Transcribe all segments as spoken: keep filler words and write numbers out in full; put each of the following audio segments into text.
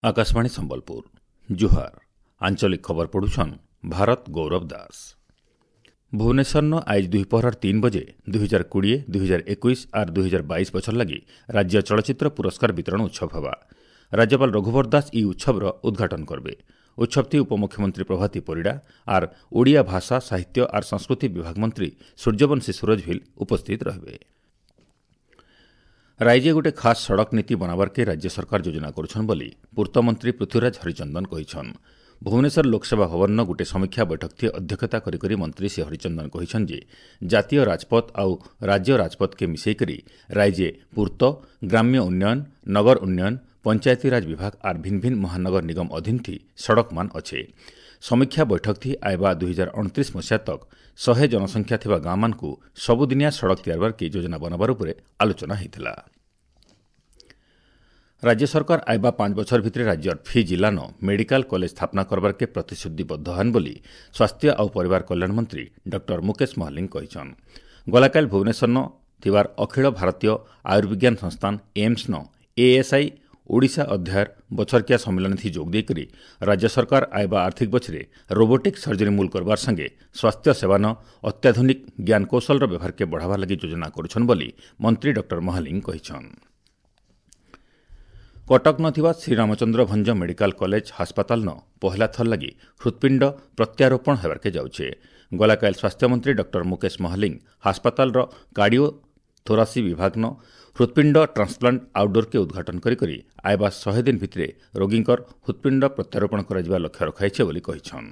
ଆକାଶବାଣୀ ସମ୍ବଲପୁର ଜୁହାର ଆଞ୍ଚଳିକ ଖବର ପଢୁଛନ୍ ଭାରତ ଗୌରବ ଦାସ ଭୁବନେଶ୍ୱରନ ଆଇଜ୍ ଦୁଇପହରର ତିନ୍ ବଜେ ଦୁଇ ହଜାର କୋଡ଼ିଏ ଦୁଇ ହଜାର ଏକୋଇଶ ଆର୍ ଦୁଇ ହଜାର ବାଇଶ ବଛର ଲାଗି ରାଜ୍ୟ ଚଳଚ୍ଚିତ୍ର ପୁରସ୍କାର ବିତରଣ ଉତ୍ସବ ହେବା ରାଜ୍ୟପାଳ ରଘୁବର ଦାସ ଇ ଉତ୍ସବର ଉଦ୍ଘାଟନ କରିବେ ଉତ୍ସବଥି ଉପମୁଖ୍ୟମନ୍ତ୍ରୀ ପ୍ରଭାତୀ ପରିଡ଼ା ଆର୍ ଓଡ଼ିଆ ଭାଷା ସାହିତ୍ୟ ଆର୍ ସଂସ୍କୃତି ବିଭାଗ ମନ୍ତ୍ରୀ ସୂର୍ଯ୍ୟବଂଶୀ ସୂରଜ ଭିଲ୍ ଉପସ୍ଥିତ ରହିବେ ରାଇଜେ ଗୋଟେ ଖାସ୍ ସଡ଼କ ନୀତି ବନାବାର୍କେ ରାଜ୍ୟ ସରକାର ଯୋଜନା କରୁଛନ୍ ବୋଲି ପୂର୍ତ୍ତମନ୍ତ୍ରୀ ପୃଥ୍ୱୀରାଜ ହରିଚନ୍ଦନ କହିଛନ୍ ଭୁବନେଶ୍ୱର ଲୋକସେବା ଭବନର ଗୋଟେ ସମୀକ୍ଷା ବୈଠକଥି ଅଧ୍ୟକ୍ଷତା କରିକରି ମନ୍ତ୍ରୀ ଶ୍ରୀ ହରିଚନ୍ଦନ କହିଛନ୍ ଯେ ଜାତୀୟ ରାଜପଥ ଆଉ ରାଜ୍ୟ ରାଜପଥକେ ମିଶେଇକରି ରାଇଜେ ପୂର୍ତ୍ତ ଗ୍ରାମ୍ୟ ଉନ୍ନୟନ ନଗର ଉନ୍ନୟନ ପଞ୍ଚାୟତିରାଜ ବିଭାଗ ଆର୍ ଭିନ୍ ଭିନ୍ ମହାନଗର ନିଗମ ଅଧୀନଥି ସଡ଼କମାନ ଅଛେ ସମୀକ୍ଷା ବୈଠକଥି ଆଇବା ଦୁଇ ହଜାର ଅଣତିରିଶ ମସିହା ତକ୍ ଶହେ ଜନସଂଖ୍ୟା ଥିବା ଗାଁମାନଙ୍କୁ ସବୁଦିନିଆ ସଡ଼କ ତିଆରବାର୍କେ ଯୋଜନା ବନାବାର ଉପରେ ଆଲୋଚନା ହୋଇଥିଲା ରାଜ୍ୟ ସରକାର ଆଇବା ପାଞ୍ଚ ବଛର ଭିତରେ ରାଜ୍ୟର ଫି ଜିଲ୍ଲାନ ମେଡିକାଲ କଲେଜ ସ୍ଥାପନା କରବାର୍କେ ପ୍ରତିଶ୍ରୁତିବଦ୍ଧ ହନ୍ ବୋଲି ସ୍ୱାସ୍ଥ୍ୟ ଆଉ ପରିବାର କଲ୍ୟାଣ ମନ୍ତ୍ରୀ ଡକ୍ଟର ମୁକେଶ ମହାଲିଙ୍ଗ କହିଛନ୍ ଗଲାକାଲି ଭୁବନେଶ୍ୱରନ ଥିବାର ଅଖିଳ ଭାରତୀୟ ଆୟୁର୍ବିଜ୍ଞାନ ସଂସ୍ଥାନ ଏମ୍ସନ ଏଏସ୍ଆଇ ଓଡ଼ିଶା ଅଧ୍ୟାୟର ବଛରକିଆ ସମ୍ମିଳନୀଥି ଯୋଗ ଦେଇକରି ରାଜ୍ୟ ସରକାର ଆଇବା ଆର୍ଥିକ ବଛରେ ରୋବୋଟିକ୍ ସର୍ଜରୀ ମୂଲ କରବାର ସାଙ୍ଗେ ସ୍ୱାସ୍ଥ୍ୟ ସେବାନ ଅତ୍ୟାଧୁନିକ ଜ୍ଞାନକୌଶଳର ବ୍ୟବହାରକେ ବଢ଼ାବାର ଲାଗି ଯୋଜନା କରୁଛନ୍ ବୋଲି ମନ୍ତ୍ରୀ ଡକ୍ଟର ମହାଲିଙ୍ଗ କହିଛନ୍ କଟକ ଥିବା ଶ୍ରୀରାମଚନ୍ଦ୍ର ଭଞ୍ଜ ମେଡିକାଲ କଲେଜ ହାସପାତାଲନ ପହଲା ଥର ଲାଗି ହୃତ୍ପିଣ୍ଡ ପ୍ରତ୍ୟାରୋପଣ ହେବାର୍କେ ଯାଉଛେ ଗଲାକାଲି ସ୍ୱାସ୍ଥ୍ୟମନ୍ତ୍ରୀ ଡକ୍ଟର ମୁକେଶ ମହାଲିଙ୍ଗ ହାସପାତାଲର କାର୍ଡିଓ ଥୋରାସି ବିଭାଗନ ହୃତ୍ପିଣ୍ଡ ଟ୍ରାନ୍ସପ୍ଲାଣ୍ଟ ଆଉଟଡୋର୍କେ ଉଦ୍ଘାଟନ କରିକରି ଆଇବା ଶହେ ଦିନ ଭିତରେ ରୋଗୀଙ୍କର ହୃତ୍ପିଣ୍ଡ ପ୍ରତ୍ୟାରୋପଣ କରାଯିବା ଲକ୍ଷ୍ୟ ରଖାଯାଇଛି ବୋଲି କହିଛନ୍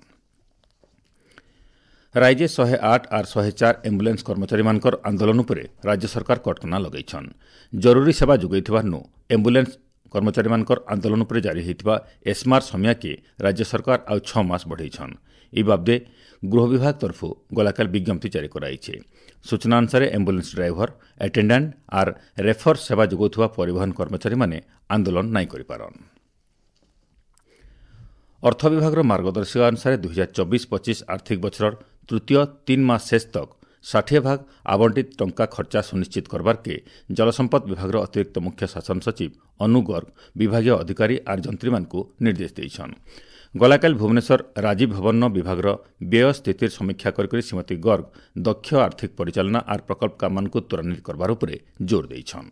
ରାଇଜେ ଶହେ ଆଠ ଆର୍ ଶହେ ଚାର ଆମ୍ବୁଲାନ୍ସ କର୍ମଚାରୀମାନଙ୍କର ଆନ୍ଦୋଳନ ଉପରେ ରାଜ୍ୟ ସରକାର କଟକଣା ଲଗାଇଛନ୍ ଜରୁରୀ ସେବା ଯୋଗାଇଥିବାରୁ ଆମ୍ବୁଲାନ୍ସ କର୍ମଚାରୀମାନଙ୍କର ଆନ୍ଦୋଳନ ଉପରେ ଜାରି ହୋଇଥିବା ଏସ୍ମାର୍ ସମିୟାକେ ରାଜ୍ୟ ସରକାର ଆଉ ଛଅ ମାସ ବଢ଼େଇଛନ୍ ଏ ବାବଦେ ଗୃହ ବିଭାଗ ତରଫରୁ ଗଲାକାଲି ବିଜ୍ଞପ୍ତି ଜାରି କରାଯାଇଛି ସୂଚନା ଅନୁସାରେ ଆମ୍ବୁଲାନ୍ସ ଡ୍ରାଇଭର ଆଟେଣ୍ଡାଣ୍ଟ ଆର୍ ରେଫର ସେବା ଯୋଗାଉଥିବା ପରିବହନ କର୍ମଚାରୀମାନେ ଆନ୍ଦୋଳନ ନାଇଁ କରିପାରନ୍ ଅର୍ଥ ବିଭାଗର ମାର୍ଗଦର୍ଶିକା ଅନୁସାରେ ଦୁଇ ହଜାର ଚବିଶ ପଚିଶ ଆର୍ଥିକ ବଛରର ତୃତୀୟ ତିନ୍ ମାସ ଶେଷ ତକ୍ ଷାଠିଏ ଭାଗ ଆବଣ୍ଟିତ ଟଙ୍କା ଖର୍ଚ୍ଚା ସୁନିଶ୍ଚିତ କରବାର୍କେ ଜଳସମ୍ପଦ ବିଭାଗର ଅତିରିକ୍ତ ମୁଖ୍ୟ ଶାସନ ସଚିବ ଅନୁ ଗର୍ଗ ବିଭାଗୀୟ ଅଧିକାରୀ ଆର୍ ଯନ୍ତ୍ରୀମାନଙ୍କୁ ନିର୍ଦ୍ଦେଶ ଦେଇଛନ୍ ଗଲାକାଲି ଭୁବନେଶ୍ୱର ରାଜୀବ ଭବନ ବିଭାଗର ବ୍ୟୟ ସ୍ଥିତିର ସମୀକ୍ଷା କରିକରି ଶ୍ରୀମତୀ ଗର୍ଗ ଦକ୍ଷ ଆର୍ଥିକ ପରିଚାଳନା ଆର୍ ପ୍ରକଳ୍ପ କାମମାନଙ୍କୁ ତ୍ୱରାନ୍ୱିତ କରବାର ଉପରେ ଜୋର ଦେଇଛନ୍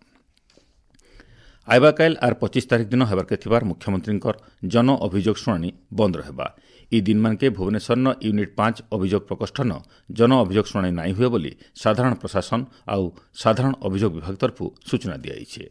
ଆଇବାକାଇଲ୍ ଆର୍ ପଚିଶ ତାରିଖ ଦିନ ହେବାର୍କେ ଥିବାର ମୁଖ୍ୟମନ୍ତ୍ରୀଙ୍କର ଜନ ଅଭିଯୋଗ ଶୁଣାଣି ବନ୍ଦ ରହିବା ଇ ଦିନମାନକେ ଭୁବନେଶ୍ୱରନ ୟୁନିଟ୍ ପାଞ୍ଚ ଅଭିଯୋଗ ପ୍ରକୋଷ୍ଠନ ଜନ ଅଭିଯୋଗ ଶୁଣାଣି ନାଇଁ ହୁଏ ବୋଲି ସାଧାରଣ ପ୍ରଶାସନ ଆଉ ସାଧାରଣ ଅଭିଯୋଗ ବିଭାଗ ତରଫରୁ ସୂଚନା ଦିଆଯାଇଛି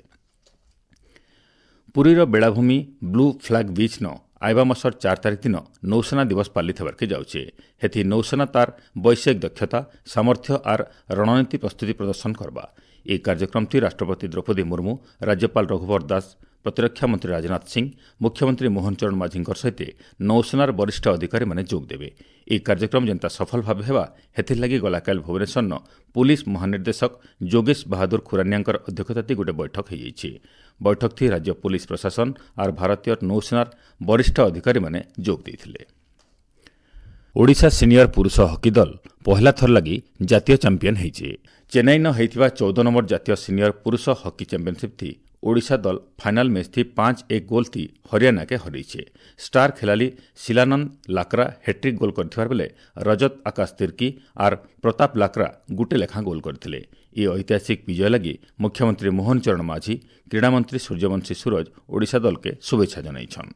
ପୁରୀର ବେଳାଭୂମି ବ୍ଲୁ ଫ୍ଲାଗ୍ ବିଚ୍ନ ଆଇବା ମାସର ଚାର ତାରିଖ ଦିନ ନୌସେନା ଦିବସ ପାଲିତ ହେବାର୍କେ ଯାଉଛେ ହେଥି ନୌସେନା ତାର ବୈଷୟିକ ଦକ୍ଷତା ସାମର୍ଥ୍ୟ ଆର୍ ରଣନୀତି ପ୍ରସ୍ତୁତି ପ୍ରଦର୍ଶନ କରବା ଏହି କାର୍ଯ୍ୟକ୍ରମଟି ରାଷ୍ଟ୍ରପତି ଦ୍ରୌପଦୀ ମୁର୍ମୁ ରାଜ୍ୟପାଳ ରଘୁବର ଦାସ ପ୍ରତିରକ୍ଷା ମନ୍ତ୍ରୀ ରାଜନାଥ ସିଂ ମୁଖ୍ୟମନ୍ତ୍ରୀ ମୋହନ ଚରଣ ମାଝୀଙ୍କ ସହିତ ନୌସେନାର ବରିଷ୍ଠ ଅଧିକାରୀମାନେ ଯୋଗ ଦେବେ ଏହି କାର୍ଯ୍ୟକ୍ରମ ଯେନ୍ତା ସଫଳ ଭାବେ ହେବା ହେଥିର୍ଲାଗି ଗଲାକାଲି ଭୁବନେଶ୍ୱରନ ପୁଲିସ୍ ମହାନିର୍ଦ୍ଦେଶକ ଯୋଗେଶ ବାହାଦୁର ଖୁରାନିଆଙ୍କର ଅଧ୍ୟକ୍ଷତାତି ଗୋଟେ ବୈଠକ ହୋଇଯାଇଛି ବୈଠକଥି ରାଜ୍ୟ ପୁଲିସ୍ ପ୍ରଶାସନ ଆର୍ ଭାରତୀୟ ନୌସେନାର ବରିଷ୍ଠ ଅଧିକାରୀମାନେ ଯୋଗ ଦେଇଥିଲେ ଓଡ଼ିଶା ସିନିୟର ପୁରୁଷ ହକି ଦଳ ପହଲା ଥର ଲାଗି ଜାତୀୟ ଚାମ୍ପିୟନ ହୋଇଛି ଚେନ୍ନାଇନ ହୋଇଥିବା ଚଉଦ ନମ୍ବର ଜାତୀୟ ସିନିୟର ପୁରୁଷ ହକି ଚାମ୍ପିୟନସିପ୍ ଥି ଓଡ଼ିଶା ଦଳ ଫାଇନାଲ ମ୍ୟାଚ୍ ଥି ପାଞ୍ଚ ଏକ ଗୋଲ୍ ଥି ହରିୟାଣାକେ ହରେଇଛେ ଷ୍ଟାର ଖେଳାଳି ଶିଲାନନ୍ଦ ଲାକ୍ରା ହ୍ୟାଟ୍ରିକ୍ ଗୋଲ୍ କରିଥିବାର ବେଲେ ରଜତ ଆକାଶ ତିର୍କି ଆର୍ ପ୍ରତାପ ଲାକ୍ରା ଗୁଟେ ଲେଖାଁ ଗୋଲ୍ କରିଥିଲେ ଏ ଐତିହାସିକ ବିଜୟ ଲାଗି ମୁଖ୍ୟମନ୍ତ୍ରୀ ମୋହନ ଚରଣ ମାଝୀ କ୍ରୀଡ଼ାମନ୍ତ୍ରୀ ସୂର୍ଯ୍ୟବଂଶୀ ସୂରଜ ଓଡ଼ିଶା ଦଳକେ ଶୁଭେଚ୍ଛା ଜଣାଇଛନ୍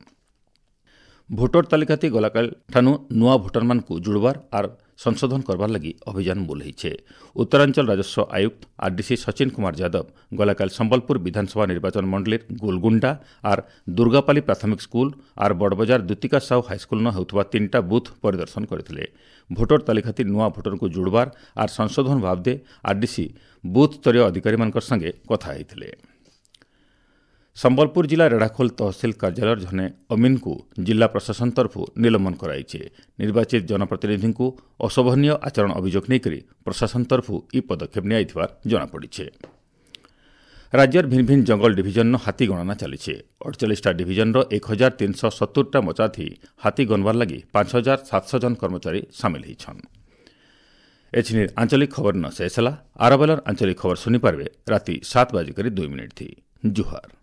ଭୋଟର ତାଲିକାତି ଗଲାକାଲି ଠାନୁ ନୂଆ ଭୋଟରମାନଙ୍କୁ ଜୁଡ଼ବାର ଆର୍ ସଂଶୋଧନ କରବାର ଲାଗି ଅଭିଯାନ ମୂଲ ହୋଇଛେ ଉତ୍ତରାଞ୍ଚଳ ରାଜସ୍ୱ ଆୟୁକ୍ତ ଆର୍ଡିସି ସଚିନ କୁମାର ଯାଦବ ଗଲାକାଲି ସମ୍ବଲପୁର ବିଧାନସଭା ନିର୍ବାଚନ ମଣ୍ଡଳୀର ଗୋଲଗୁଣ୍ଡା ଆର୍ ଦୁର୍ଗାପାଲି ପ୍ରାଥମିକ ସ୍କୁଲ ଆର୍ ବଡ଼ବଜାର ଦୁତିକା ସାହୁ ହାଇସ୍କୁଲନ ହେଉଥିବା ତିନିଟା ବୁଥ୍ ପରିଦର୍ଶନ କରିଥିଲେ ଭୋଟର ତାଲିକାତି ନୂଆ ଭୋଟରଙ୍କୁ ଜୁଡ଼ବାର ଆର୍ ସଂଶୋଧନ ବାବଦେ ଆର୍ଡିସି ବୁଥ୍ ସ୍ତରୀୟ ଅଧିକାରୀମାନଙ୍କ ସାଙ୍ଗେ କଥା ହୋଇଥିଲେ ସମ୍ବଲପୁର ଜିଲ୍ଲା ରେଢ଼ାଖୋଲ ତହସିଲ କାର୍ଯ୍ୟାଳୟର ଜଣେ ଅମିନଙ୍କୁ ଜିଲ୍ଲା ପ୍ରଶାସନ ତରଫରୁ ନିଲମ୍ବନ କରାଯାଇଛି ନିର୍ବାଚିତ ଜନପ୍ରତିନିଧିଙ୍କୁ ଅଶୋଭନୀୟ ଆଚରଣ ଅଭିଯୋଗ ନେଇକରି ପ୍ରଶାସନ ତରଫରୁ ଏହି ପଦକ୍ଷେପ ନିଆଯାଇଥିବା ଜଣାପଡ଼ିଛି ରାଜ୍ୟର ଭିନ୍ ଭିନ୍ ଜଙ୍ଗଲ ଡିଭିଜନର ହାତୀ ଗଣନା ଚାଲିଛି ଅଡ଼ଚାଳିଶଟା ଡିଭିଜନର ଏକ ହଜାର ତିନିଶହ ସତୁରଟା ମଚାଥି ହାତୀ ଗଣବାର ଲାଗି ପାଞ୍ଚ ହଜାର ସାତଶହ ଜଣ କର୍ମଚାରୀ ସାମିଲ ହୋଇଛନ୍ ଏଛିନି ଆଞ୍ଚଳିକ ଖବର ନ ଶେଷ ହେଲା ଆରବେଲର ଆଞ୍ଚଳିକ ଖବର ଶୁଣିପାରିବେ ରାତି ସାତ ବାଜିକରି ଦୁଇ ମିନିଟ୍ ଥି ଜୁହାର